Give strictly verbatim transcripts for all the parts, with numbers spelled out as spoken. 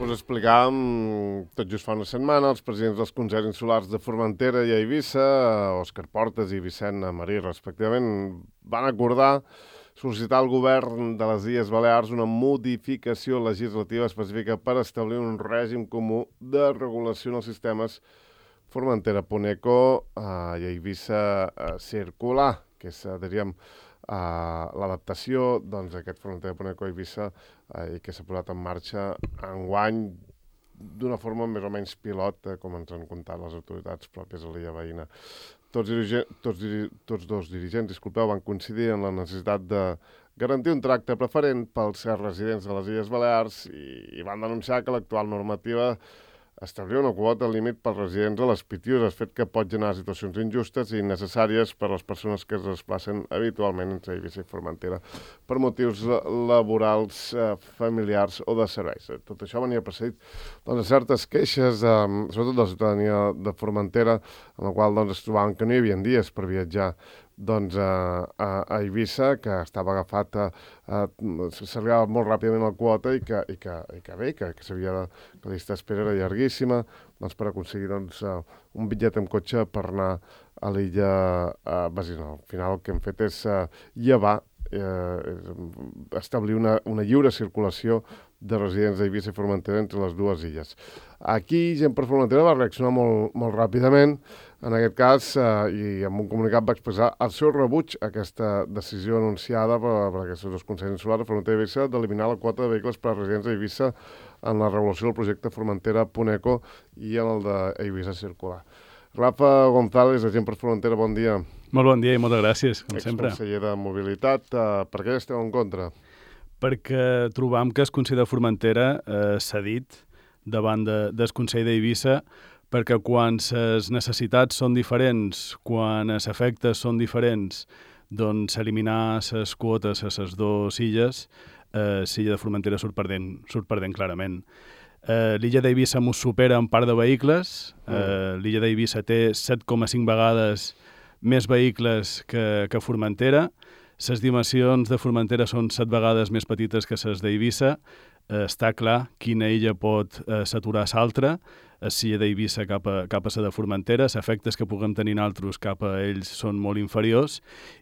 Us explicàvem, tot just fa una setmana, els presidents dels Consells Insulars de Formentera i Eivissa, Òscar Portas i Vicent Marí, respectivament, van acordar sol·licitar al govern de les Illes Balears una modificació legislativa específica per establir un règim comú de regulació en els sistemes Formentera-Puneco i Eivissa-Circular, que és, diríem, Uh, l'adaptació doncs, d'aquest Formentera-Puneco a Eivissa uh, i que s'ha posat en marxa enguany d'una forma més o menys pilot, eh, com ens han contat les autoritats pròpies a l'illa veïna. Tots, dirige tots, diri tots dos dirigents, disculpeu, van coincidir en la necessitat de garantir un tracte preferent pels residents de les Illes Balears i, i van denunciar que l'actual normativa establia una quota límit pels residents a les Pitiüses, fet que pot generar situacions injustes i innecessàries per a les persones que es desplacen habitualment entre Eivissa i Formentera per motius laborals, eh, familiars o de serveis. Tot això venia precedit doncs, de certes queixes, eh, sobretot de la ciutadania de Formentera, en la qual doncs, es trobaven que no hi havia dies per viatjar doncs, a, a, a Eivissa, que estava agafat, a, a, s'arribava molt ràpidament la quota i que, i que, i que bé, que, que s'havia de, que la llista d'espera era llarguíssima, doncs, per aconseguir doncs, un bitllet amb cotxe per anar a l'illa uh, Basina. Al final el que hem fet és uh, llevar, eh, establir una, una lliure circulació de residents d'Eivissa i Formentera entre les dues illes. Aquí, gent per Formentera va reaccionar molt, molt ràpidament, en aquest cas, eh, i amb un comunicat va expressar el seu rebuig a aquesta decisió anunciada per, per aquests dos Consells Insulars de Formentera i Eivissa d'eliminar la quota de vehicles per a residents d'Eivissa en la regulació del projecte Formentera-Puneco i en el d'Eivissa Circular. Rafa González, agent per Formentera, bon dia. Molt bon dia i moltes gràcies, com sempre. Exconseller de Mobilitat, eh, per què esteu en contra? Perquè trobam que el Consell de Formentera eh, s'ha dit davant de, del Consell d'Eivissa perquè quan les necessitats són diferents, quan els efectes són diferents, doncs eliminar les quotes a les dues illes, eh, l'illa de Formentera surt perdent, surt perdent clarament. Eh, l'illa d'Eivissa mos supera en part de vehicles, eh, l'illa d'Eivissa té set coma cinc vegades més vehicles que, que Formentera, les dimensions de Formentera són set vegades més petites que les d'Eivissa, eh, està clar quina illa pot eh, saturar l'altra, l'illa d'Eivissa cap a, cap a la de Formentera, els efectes que puguem tenir altres cap a ells són molt inferiors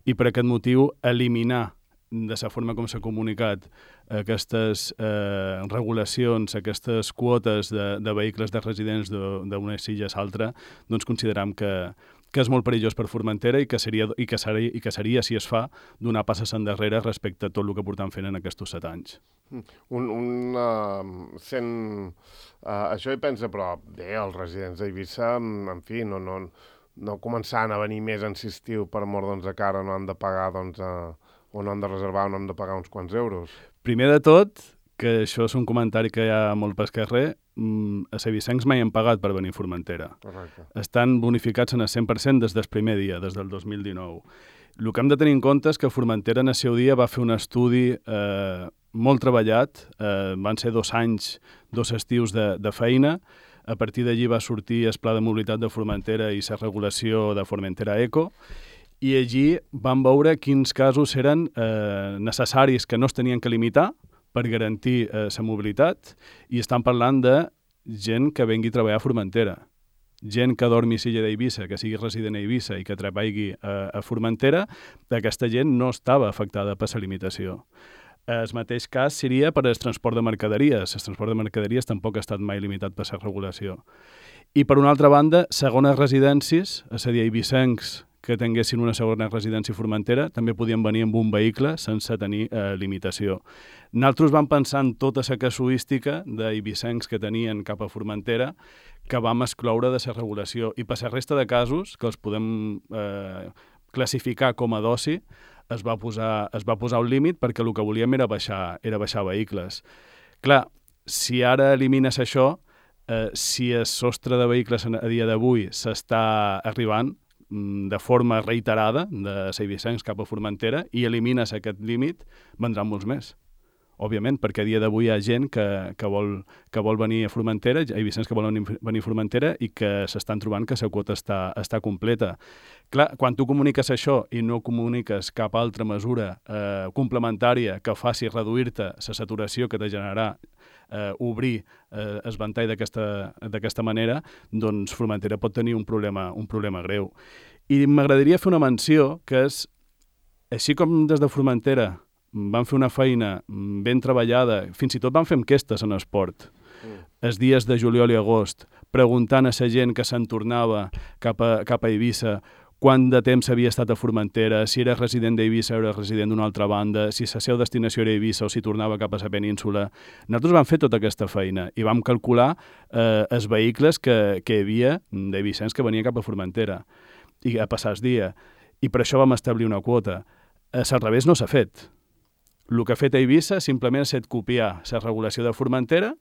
i per aquest motiu eliminar de la forma com s'ha comunicat aquestes eh, regulacions, aquestes quotes de, de vehicles de residents d'una illa a l'altra, doncs consideram que, que és molt perillós per Formentera i que seria, i que seria, i que seria si es fa, donar passes endarrere respecte a tot el que portem fent en aquests set anys. Un, un, uh, sent, uh, això hi pensa, però bé, els residents d'Eivissa, en fi, no, no, no començaran a venir més en estiu per amor doncs, de cara, no han de pagar, doncs, uh, o no han de reservar, o no han de pagar uns quants euros. Primer de tot, que això és un comentari que hi ha molt pel carrer, els eivissencs mai han pagat per venir a Formentera. Correcte. Estan bonificats en el cent per cent des del primer dia, des del dos mil dinou. El que hem de tenir en compte és que Formentera en el seu dia va fer un estudi eh, molt treballat, eh, van ser dos anys, dos estius de, de feina, a partir d'allí va sortir el Pla de Mobilitat de Formentera i la regulació de Formentera Eco, i allí vam veure quins casos eren eh, necessaris que no es tenien que limitar per garantir la eh, mobilitat, i estan parlant de gent que vengui a treballar a Formentera. Gent que dormi a l'illa d'Eivissa, que sigui resident a Eivissa i que treballi a, a Formentera, aquesta gent no estava afectada per la limitació. El mateix cas seria per al transport de mercaderies. El transport de mercaderies tampoc ha estat mai limitat per la regulació. I per una altra banda, segones residències, és a dir, eivissencs que tinguessin una segona residència a Formentera també podien venir amb un vehicle sense tenir eh, limitació. Nosaltres vam pensar en tota la casuística d'eivissencs que tenien cap a Formentera que vam excloure de la regulació, i per la resta de casos, que els podem eh, classificar com a d'oci, es va posar, es va posar un límit perquè el que volíem era baixar, era baixar vehicles. Clar, si ara elimines això, eh, si el sostre de vehicles a dia d'avui s'està arribant de forma reiterada de eivissencs cap a Formentera i elimines aquest límit, vendran molts més. Òbviament, perquè a dia d'avui hi ha gent que, que, vol, que vol venir a Formentera, eivissencs que volen venir a Formentera i que s'estan trobant que la quota està, està completa. Clar, quan tu comuniques això i no comuniques cap altra mesura eh, complementària que faci reduir-te la saturació que te generarà eh, obrir eh, el ventall d'aquesta manera, doncs Formentera pot tenir un problema, un problema greu. I m'agradaria fer una menció que és, així com des de Formentera van fer una feina ben treballada, fins i tot van fer enquestes en esport, mm. els dies de juliol i agost, preguntant a la gent que se'n tornava cap a, cap a Eivissa quant de temps havia estat a Formentera, si era resident d'Eivissa o era resident d'una altra banda, si la seva destinació era Eivissa o si tornava cap a la península. Nosaltres vam fer tota aquesta feina i vam calcular eh, els vehicles que, que hi havia d'eivissens que venien cap a Formentera i a passar el dia. I per això vam establir una quota. A al revés no s'ha fet. El que ha fet Eivissa simplement ha estat copiar la regulació de Formentera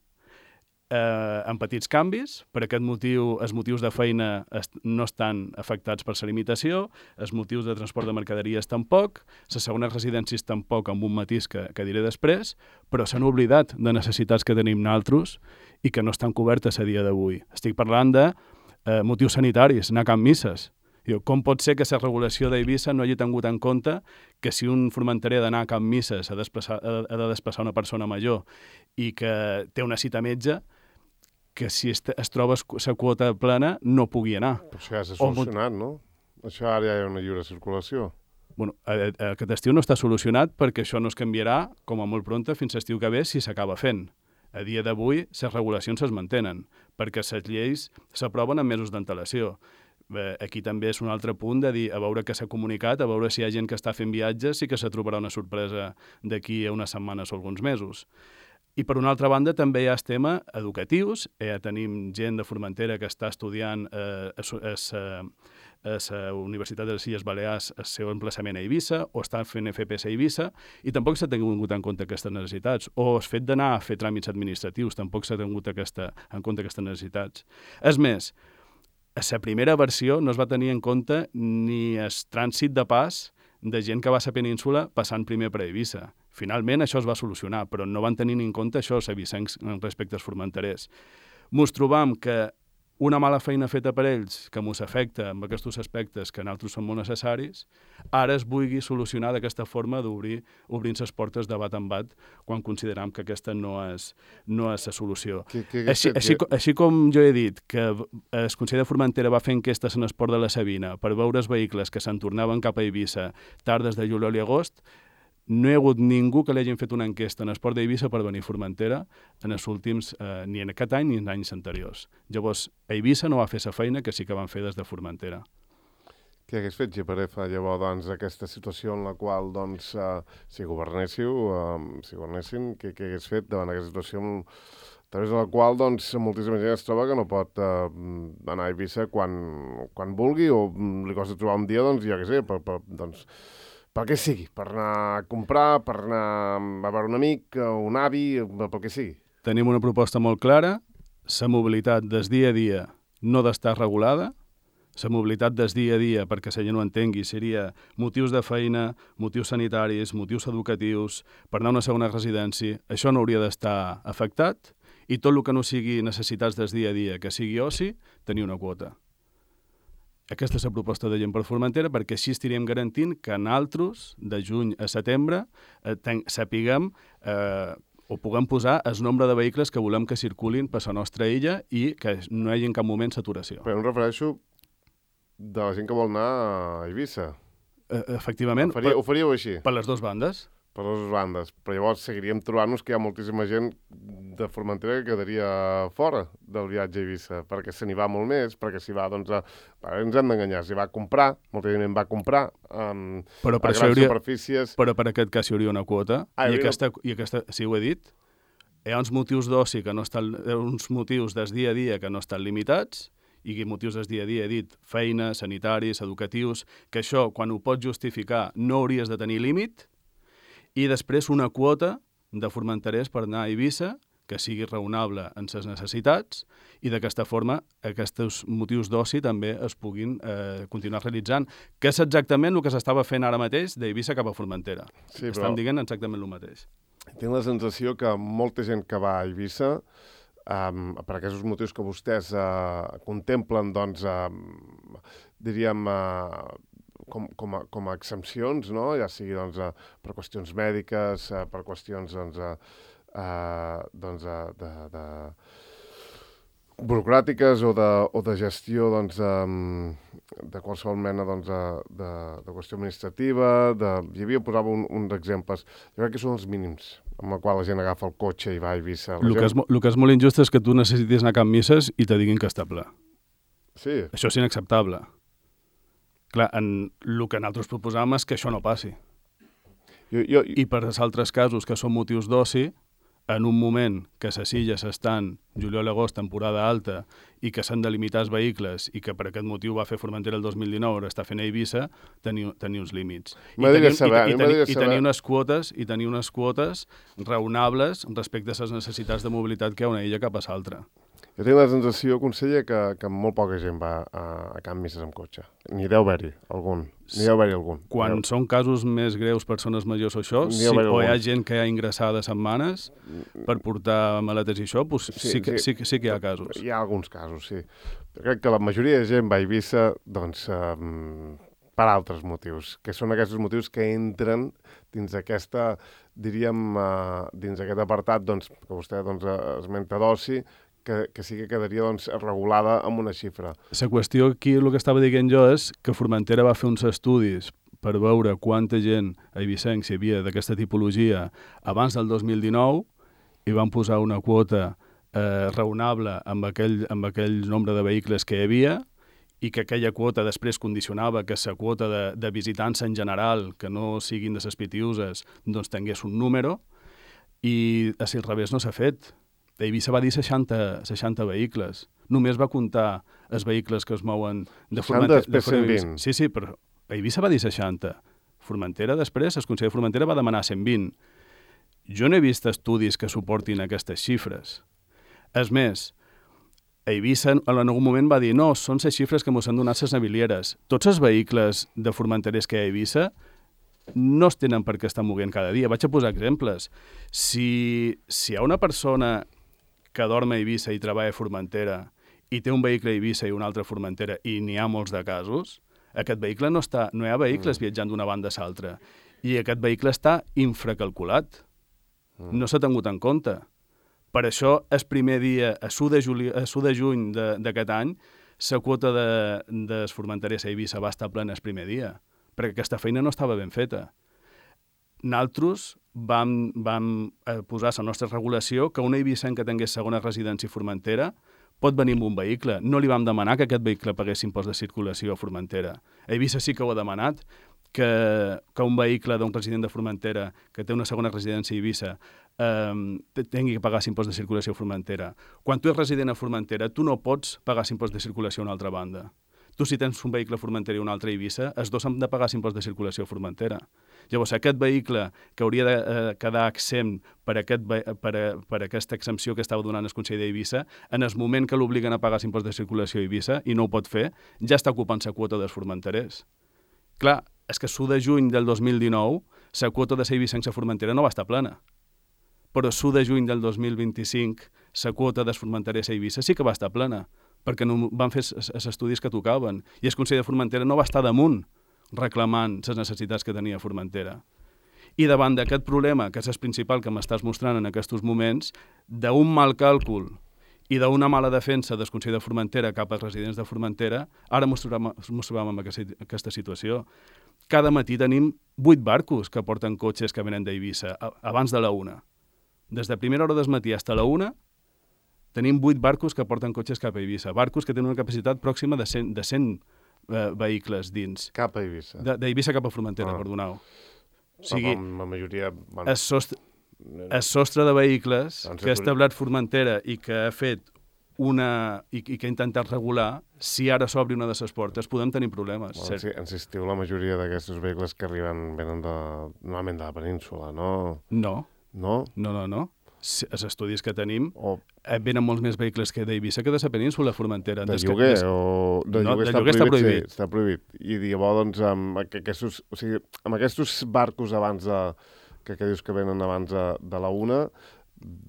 eh, amb petits canvis. Per aquest motiu, els motius de feina est no estan afectats per la limitació, els motius de transport de mercaderies tampoc, les segones residències tampoc, amb un matís que, que diré després, però s'han oblidat de necessitats que tenim nosaltres i que no estan cobertes a dia d'avui. Estic parlant de eh, motius sanitaris, anar a Can Misses. Diu, com pot ser que la regulació d'Eivissa no hagi tingut en compte que si un formenterer ha d'anar a Can Misses ha, ha de desplaçar una persona major i que té una cita a metge, que si es, es troba la quota plana no pugui anar. Però això ja s'ha solucionat, no? Això ara ja hi ha una lliure circulació. Bueno, aquest estiu no està solucionat perquè això no es canviarà com a molt pronta fins a l'estiu que ve si s'acaba fent. A dia d'avui, les regulacions es mantenen, perquè les lleis s'aproven amb mesos d'antelació. Aquí també és un altre punt de dir, a veure què s'ha comunicat, a veure si hi ha gent que està fent viatges, sí que se trobarà una sorpresa d'aquí a unes setmanes o alguns mesos. I per una altra banda també hi ha el tema educatius. Ja tenim gent de Formentera que està estudiant eh, a la Universitat de les Illes Balears el seu emplaçament a Eivissa o està fent F P S a Eivissa i tampoc s'ha tingut en compte aquestes necessitats. O el fet d'anar a fer tràmits administratius tampoc s'ha tingut aquesta, en compte aquestes necessitats. És més, a la primera versió no es va tenir en compte ni el trànsit de pas de gent que va a la península passant primer per Eivissa. Finalment això es va solucionar, però no van tenir en compte això els eivissencs respecte als formenterers. Mos trobam que una mala feina feta per ells, que mos afecta amb aquests aspectes que en altres són molt necessaris, ara es vulgui solucionar d'aquesta forma d'obrir obrint les portes de bat en bat quan consideram que aquesta no és, no és la solució. Que, que així, així, així com jo he dit que el Consell de Formentera va fer enquestes en esport de la Sabina per veure els vehicles que se'n tornaven cap a Eivissa tardes de juliol i agost, no hi ha hagut ningú que li hagin fet una enquesta en esport d'Eivissa per venir a Formentera en els últims, eh, ni en aquest any ni en anys anteriors. Llavors, Eivissa no va fer la feina que sí que van fer des de Formentera. Què hagués fet G P R F llavors, doncs, aquesta situació en la qual, doncs, eh, si governéssiu, eh, si governessin, què, què hagués fet davant aquesta situació a través de la qual, doncs, moltíssima gent es troba que no pot eh, anar a Eivissa quan, quan vulgui o li costa trobar un dia, doncs, ja què sé, per, per, doncs, per què sigui, per anar a comprar, per anar a veure un amic, un avi, pel que sigui. Tenim una proposta molt clara, la mobilitat des dia a dia no d'estar regulada, la mobilitat des dia a dia, perquè la gent ho entengui, seria motius de feina, motius sanitaris, motius educatius, per anar a una segona residència, això no hauria d'estar afectat, i tot el que no sigui necessitats des dia a dia, que sigui oci, tenir una quota. Aquesta és la proposta de Gent per Formentera perquè així estaríem garantint que nosaltres, de juny a setembre, eh, ten, sapiguem eh, o puguem posar el nombre de vehicles que volem que circulin per la nostra illa i que no hi hagi en cap moment saturació. Però em refereixo de la gent que vol anar a Eivissa. Eh, efectivament. Ho, faria, ho faríeu així? Per les dues bandes. Per les dues bandes. Però llavors seguiríem trobant-nos que hi ha moltíssima gent de Formentera que quedaria fora del viatge a Eivissa, perquè se n'hi va molt més, perquè s'hi va, doncs, a... ens hem d'enganyar, s'hi va a comprar, molta gent va comprar um, però per a grans hauria... superfícies. Però per aquest cas hi hauria una quota, ah, i, hauria... aquesta, i aquesta, sí ho he dit, hi ha uns motius d'oci que no estan, uns motius des dia a dia que no estan limitats, i motius des dia a dia, he dit, feina, sanitaris, educatius, que això, quan ho pots justificar, no hauries de tenir límit, i després una quota de formenterers per anar a Eivissa que sigui raonable en les necessitats i d'aquesta forma aquests motius d'oci també es puguin eh, continuar realitzant, que és exactament el que s'estava fent ara mateix d'Eivissa cap a Formentera. Sí, Estan però... dient exactament el mateix. Tinc la sensació que molta gent que va a Eivissa, um, per aquests motius que vostès uh, contemplen, doncs, uh, diríem... Uh, Com, com, a, com a exempcions, no? Ja sigui doncs, uh, per qüestions mèdiques, uh, per qüestions doncs, uh, uh, doncs, de, de, de burocràtiques o de, o de gestió doncs, de, de qualsevol mena doncs, de, de, de qüestió administrativa. De... Hi havia, posava un, uns exemples. Jo crec que són els mínims amb el qual la gent agafa el cotxe i va a Eivissa. El, gent... que és, el que és molt injust és que tu necessitis anar a Can Misses i te diguin que està ple. Sí. Això és inacceptable. Clar, en, el que nosaltres proposàvem és que això no passi. Jo, jo... I per als altres casos que són motius d'oci, en un moment que a les Illes estan juliol i agost, temporada alta, i que s'han de limitar els vehicles, i que per aquest motiu va fer Formentera el dos mil dinou, ara està fent a Eivissa, tenir, tenir uns límits. I tenir, saber, i, i, tenir, i tenir unes quotes i tenir unes quotes raonables respecte a les necessitats de mobilitat que hi ha una illa cap a l'altra. Jo tinc la sensació, conseller, que, que molt poca gent va a, a Can Misses amb cotxe. Ni deu haver-hi algun. Ni deu haver-hi algun. Quan deu... són casos més greus, persones majors o això, sí, o hi ha gent que hi ha ingressada setmanes per portar maletes i això, doncs sí, sí, que, sí, sí, sí que hi ha casos. Hi ha alguns casos, sí. Però crec que la majoria de gent va a Eivissa doncs, um, per altres motius, que són aquests motius que entren dins aquesta, diríem, uh, dins aquest apartat doncs, que vostè doncs, esmenta d'oci, que, que sí que quedaria doncs, regulada amb una xifra. La qüestió aquí, el que estava dient jo, és que Formentera va fer uns estudis per veure quanta gent a eivissencs hi havia d'aquesta tipologia abans del dos mil dinou i van posar una quota eh, raonable amb aquell, amb aquell nombre de vehicles que hi havia i que aquella quota després condicionava que la quota de, de visitants en general, que no siguin de les pitiuses, doncs tingués un número, i a si al revés no s'ha fet. Eivissa va dir seixanta, seixanta vehicles. Només va comptar els vehicles que es mouen de Formentera. seixanta, després cent vint. Sí, sí, però Eivissa va dir seixanta. Formentera després, el Consell de Formentera va demanar cent vint. Jo no he vist estudis que suportin aquestes xifres. És més, Eivissa en algun moment va dir no, són les xifres que mos han donat les navilieres. Tots els vehicles de formenterers que hi ha a Eivissa no es tenen per què estar moguent cada dia. Vaig a posar exemples. Si, si hi ha una persona que dorm a Eivissa i treballa a Formentera i té un vehicle a Eivissa i un altre a Formentera i n'hi ha molts de casos, aquest vehicle no està, no hi ha vehicles mm. viatjant d'una banda a l'altra i aquest vehicle està infracalculat. Mm. No s'ha tingut en compte. Per això, el primer dia, a l'u de, juli, a l'u de juny d'aquest any, la quota de, de formenterers a Eivissa va estar plena el primer dia, perquè aquesta feina no estava ben feta. Nosaltres vam, vam posar a la nostra regulació que una eivissenc que tingués segona residència a Formentera pot venir amb un vehicle. No li vam demanar que aquest vehicle pagués impost de circulació a Formentera. A Eivissa sí que ho ha demanat, que, que un vehicle d'un resident de Formentera que té una segona residència a Eivissa eh, tingui que pagar impost de circulació a Formentera. Quan tu ets resident a Formentera, tu no pots pagar impost de circulació a una altra banda. Tu, si tens un vehicle a Formentera i un altre a Eivissa, els dos han de pagar impost de circulació a Formentera. Llavors, aquest vehicle que hauria de eh, quedar exempt per, aquest, per, per aquesta exempció que estava donant el Consell d'Eivissa, en el moment que l'obliguen a pagar impost de circulació a Eivissa i no ho pot fer, ja està ocupant la quota dels formenterers. Clar, és que l'u de juny del dos mil dinou la quota de eivissencs a Formentera no va estar plena. Però l'u de juny del dos mil vint-i-cinc la quota dels formenterers a Eivissa sí que va estar plena, perquè no van fer els estudis que tocaven. I el Consell de Formentera no va estar damunt reclamant les necessitats que tenia Formentera. I davant d'aquest problema, que és el principal que m'estàs mostrant en aquests moments, d'un mal càlcul i d'una mala defensa del Consell de Formentera cap als residents de Formentera, ara ens trobem en aquesta situació. Cada matí tenim vuit barcos que porten cotxes que venen d'Eivissa, abans de la una. Des de primera hora del matí fins a la una, tenim vuit barcos que porten cotxes cap a Eivissa. Barcos que tenen una capacitat pròxima de cent, de cent eh, vehicles dins. Cap a Eivissa. D'Eivissa cap a Formentera, ah. perdoneu. O sigui, la majoria... Bueno, el, sostre, el sostre de vehicles doncs que ha establert Formentera i que ha fet una... i, i que ha intentat regular, si ara s'obri una de les portes, podem tenir problemes. Bueno, si, insistiu, la majoria d'aquests vehicles que arriben venen de, normalment de la península, no? No. No? No, no, no. Els estudis que tenim o... venen molts més vehicles que d'Eivissa que de la península Formentera. De lloguer des... o... De no, lloguer, de està, lloguer prohibit, està prohibit. Sí, està prohibit. I llavors, doncs, amb aquests, o sigui, amb aquests barcos abans de... que, que dius que venen abans de, de la una,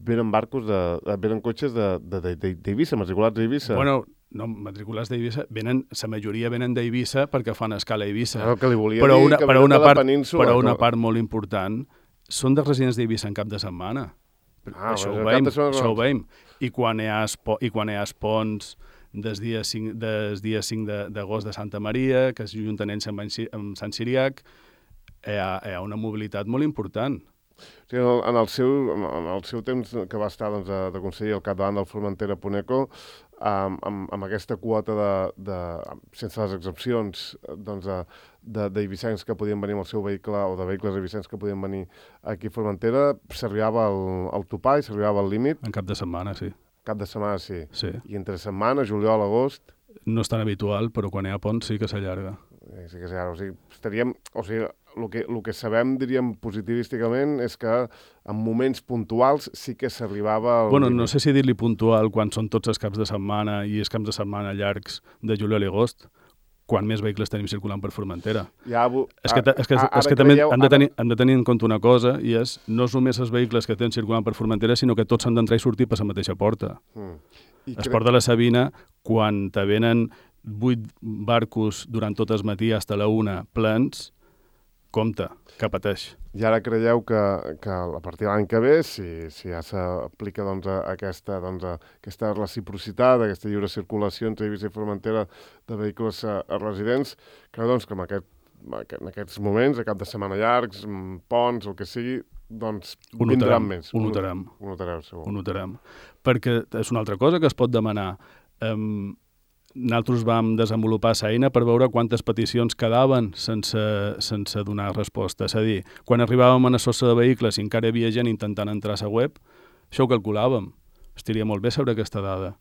venen barcos, de, venen cotxes d'Eivissa, matriculats d'Eivissa. Bueno, no, matriculats d'Eivissa, venen, la majoria venen d'Eivissa perquè fan escala a Eivissa. No, que li volia però dir una, que però venen una de la part, península. Però una no. part molt important són dels residents d'Eivissa en cap de setmana. Ah, això, bueno, ho veiem, setmana... això ho veiem. I quan hi ha, espo, i quan hi ha espons des dia cinc, des dia cinc d'agost de, de Santa Maria, que es junten ells amb, amb Sant Siriac, hi ha, hi ha una mobilitat molt important. Sí, en, el seu, en el seu temps que va estar doncs, de, de conseller al capdavant del Formentera Puneco, amb, amb, amb aquesta quota de, de, sense les excepcions, doncs, d'eivissencs que podien venir amb el seu vehicle, o de vehicles eivissencs que podien venir aquí a Formentera, s'arribava al, al topall, s'arribava al límit. En cap de setmana, sí. Cap de setmana, sí. sí. I entre setmana, juliol, agost... No és tan habitual, però quan hi ha ponts sí que s'allarga. Sí que s'allarga. O sigui, estaríem... O sigui, el que, el que sabem, diríem, positivísticament, és que en moments puntuals sí que s'arribava... Bueno, límit. No sé si dir-li puntual quan són tots els caps de setmana i els caps de setmana llargs de juliol i agost, quan més vehicles tenim circulant per Formentera. Ja, és que, és que, és que també hem de, tenir, hem de tenir en compte una cosa, i és, no és només els vehicles que tenen circulant per Formentera, sinó que tots han d'entrar i sortir per la mateixa porta. Mm. Es cre... porta la Sabina, quan te venen vuit barcos durant tot el matí fins a la una plens, compte, que pateix. I ara creieu que, que a partir de l'any que ve, si, si ja s'aplica doncs, aquesta, doncs, aquesta reciprocitat, aquesta lliure circulació entre Eivissa i Formentera de vehicles a, a residents, que, doncs, que en, aquest, en aquests moments, a cap de setmana llargs, ponts, el que sigui, doncs ho vindran notarem, més. Ho notarem. Ho notareu, segur. Ho notarem. Perquè és una altra cosa que es pot demanar. Um, Nosaltres vam desenvolupar l'eina per veure quantes peticions quedaven sense, sense donar resposta. És a dir, quan arribàvem a la sossa de vehicles i encara hi havia gent intentant entrar a la web, això ho calculàvem. Estaria molt bé saber aquesta dada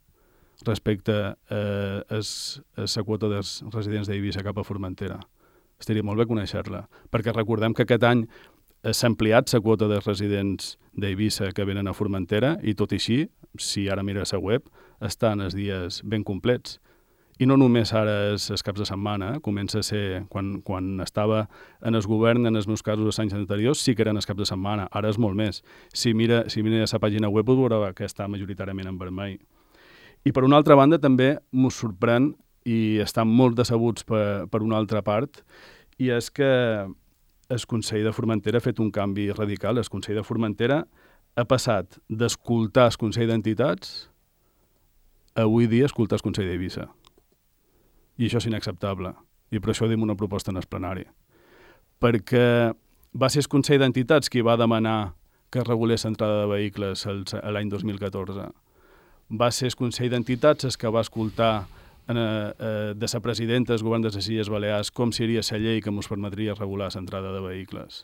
respecte eh, a la quota dels residents d'Eivissa cap a Formentera. Estaria molt bé conèixer-la, perquè recordem que aquest any s'ha ampliat la quota dels residents d'Eivissa que venen a Formentera i tot i així, si ara mires la web, estan els dies ben complets. I no només ara és els caps de setmana, eh? Comença a ser, quan, quan estava en el govern, en els meus casos els anys anteriors, sí que eren els caps de setmana, ara és molt més. Si mira, si mira la pàgina web, ho veurà que està majoritàriament en vermell. I per una altra banda també m'ho sorprèn, i estan molt decebuts per, per una altra part, i és que el Consell de Formentera ha fet un canvi radical. El Consell de Formentera ha passat d'escoltar el Consell d'Entitats a avui dia escoltar el Consell d'Eivissa. I això és inacceptable. I per això dim una proposta en el plenari. Perquè va ser el Consell d'Entitats qui va demanar que es regulés l'entrada de vehicles l'any dos mil catorze. Va ser el Consell d'Entitats el que va escoltar eh, eh, de la presidenta del govern de les Illes Balears com seria la llei que ens permetria regular l'entrada de vehicles.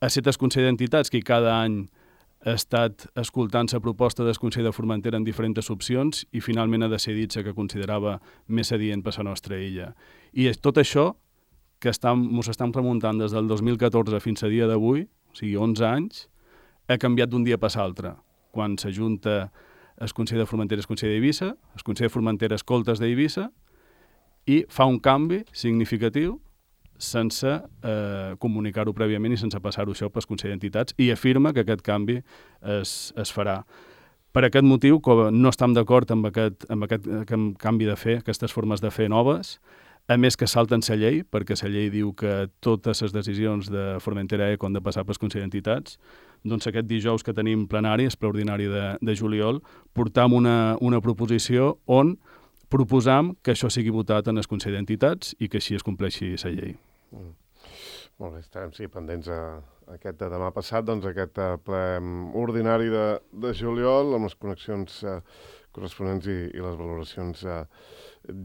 Ha estat el Consell d'Entitats qui cada any ha estat escoltant la proposta del Consell de Formentera en diferents opcions i finalment ha decidit la que considerava més adient per la nostra illa. I és tot això que ens estem remuntant des del dos mil catorze fins a dia d'avui, o sigui, onze anys, ha canviat d'un dia per l'altre. Quan s'ajunta el Consell de Formentera i el Consell d'Eivissa, el Consell de Formentera escolta els d'Eivissa i fa un canvi significatiu sense eh, comunicar-ho prèviament i sense passar-ho això pel Consell d'Entitats, i afirma que aquest canvi es, es farà. Per aquest motiu, com no estem d'acord amb aquest, amb aquest canvi de fer, aquestes formes de fer noves, a més que salten la llei, perquè la llei diu que totes les decisions de Formentera Eco han de passar pel Consell d'Entitats, doncs aquest dijous que tenim plenari, el ple ordinari de, de juliol, portam una, una proposició on proposam que això sigui votat en el Consell d'Entitats i que així es compleixi la llei. Mm. Molt bé, estarem sí, pendents a, a aquest de demà passat, doncs aquest ple ordinari de, de juliol amb les connexions eh, corresponents i, i les valoracions eh,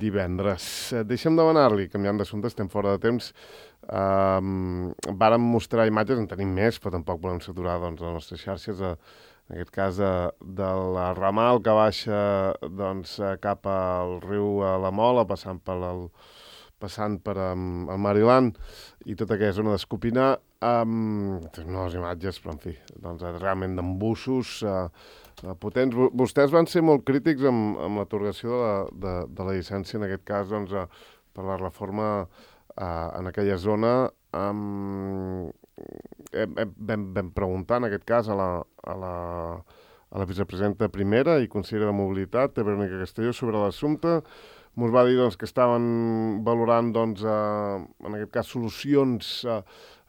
divendres. Eh, deixa'm demanar-li, canviant d'assumpte, estem fora de temps, eh, vàrem mostrar imatges, en tenim més, però tampoc volem saturar doncs, les nostres xarxes, eh, en aquest cas de, de la ramal que baixa doncs, cap al riu a la Mola, passant per el, passant per um, el Mariland i tota aquella zona d'Escopinar, um, noves imatges, però en fi, doncs, realment d'embussos uh, uh, potents. Vostès van ser molt crítics amb, amb l'atorgació de, la, de, de la llicència, en aquest cas, doncs, uh, per la reforma uh, en aquella zona. Um, vam, vam preguntar, en aquest cas, a la, a la, a la vicepresidenta primera i consellera de Mobilitat, de Verónica Castelló, sobre l'assumpte. Ens va dir doncs, que estaven valorant, doncs, eh, en aquest cas, solucions eh,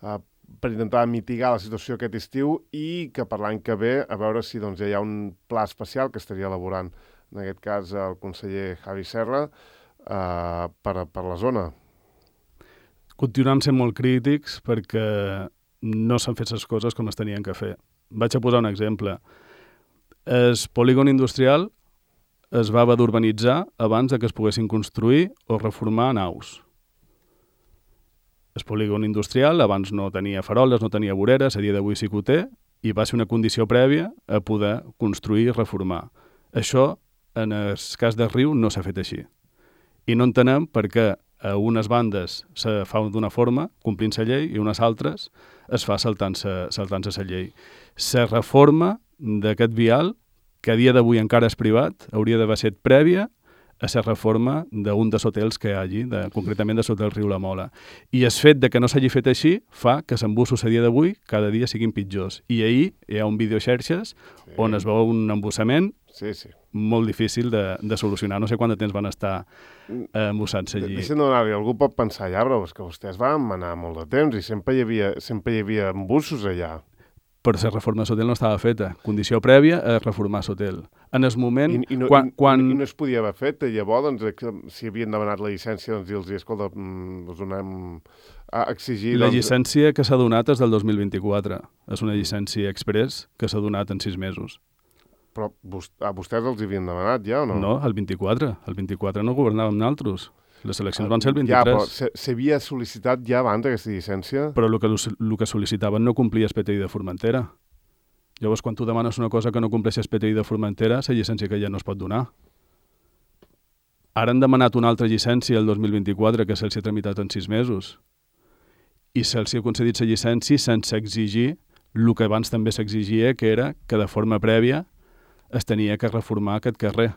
eh, per intentar mitigar la situació aquest estiu i que per l'any que ve a veure si doncs, ja hi ha un pla especial que estaria elaborant, en aquest cas, el conseller Javi Serra, eh, per, per la zona. Continuem sent molt crítics perquè no s'han fet les coses com es tenien que fer. Vaig a posar un exemple. El polígon industrial es va haver d'urbanitzar abans de que es poguessin construir o reformar naus. El polígon industrial abans no tenia faroles, no tenia voreres, a dia d'avui sí que ho té, i va ser una condició prèvia a poder construir i reformar. Això, en el cas del riu, no s'ha fet així. I no entenem per què a unes bandes se fa d'una forma, complint la llei, i unes altres es fa saltant-se saltant-se la llei. La reforma d'aquest vial, que a dia d'avui encara és privat, hauria d'haver estat prèvia a la reforma d'un dels hotels que hi hagi, de, concretament de l'hotel Riu La Mola. I el fet de que no s'hagi fet així fa que els embussos a dia d'avui cada dia siguin pitjors. I ahir hi ha un vídeo xarxes sí. on es veu un embussament sí, sí. molt difícil de, de solucionar. No sé quant de temps van estar eh, embussant-se allí. Deixa'm donar-li, algú pot pensar, ja, però és que vostès van manar molt de temps i sempre hi havia, sempre hi havia embussos allà. Però la reforma de l'hotel no estava feta. Condició prèvia a reformar l'hotel. En el moment... I, i, no, quan, i, quan... I no es podia haver fet. Llavors, doncs, si havien demanat la llicència, doncs dir-los, escolta, us donem a exigir... La doncs... llicència que s'ha donat és del dos mil vint-i-quatre. És una llicència express que s'ha donat en sis mesos. Però a vostès els havien demanat ja o no? No, el vint-i-quatre. El vint-i-quatre no governàvem nosaltres. Les eleccions van ser el vint-i-tres. Ja, però s'havia sol·licitat ja abans aquesta llicència? Però el que, el que sol·licitaven no complia el P T I de Formentera. Llavors, quan tu demanes una cosa que no compleix el P T I de Formentera, la llicència que ja no es pot donar. Ara han demanat una altra llicència el dos mil vint-i-quatre que se'ls ha tramitat en sis mesos. I se'ls ha concedit la llicència sense exigir el que abans també s'exigia, que era que de forma prèvia es tenia que reformar aquest carrer.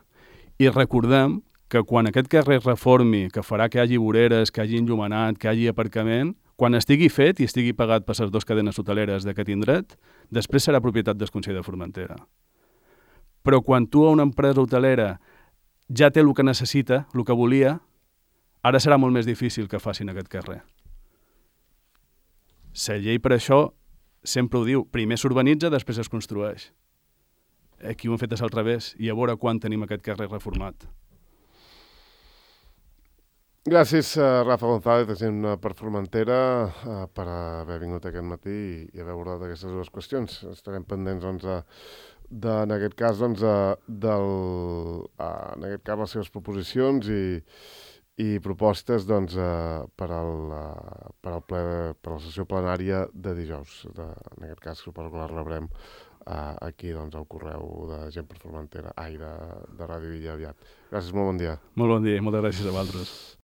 I recordem que quan aquest carrer es reformi, que farà que hi hagi voreres, que hi hagi enllumenat, que hi hagi aparcament, quan estigui fet i estigui pagat per les dues cadenes hoteleres d'aquest indret, després serà propietat del Consell de Formentera. Però quan tu a una empresa hotelera ja té el que necessita, el que volia, ara serà molt més difícil que facin aquest carrer. La llei per això sempre ho diu, primer s'urbanitza, després es construeix. Aquí ho hem fet al revés, i a veure quan tenim aquest carrer reformat. Gràcies, uh, Rafa González, agent per Formentera, uh, per haver vingut aquest matí i, i haver abordat aquestes dues qüestions. Estarem pendents, doncs, de, de, en aquest cas, doncs, uh, del, uh, en aquest cas, les seves proposicions i, i propostes, doncs, uh, per, al, uh, per, al ple, per la sessió plenària de dijous. De, en aquest cas, suposo que la rebrem uh, aquí, doncs, al correu de Gent per Formentera, ai, de, de Ràdio Villa aviat. Gràcies, molt bon dia. Molt bon dia i moltes gràcies a vosaltres.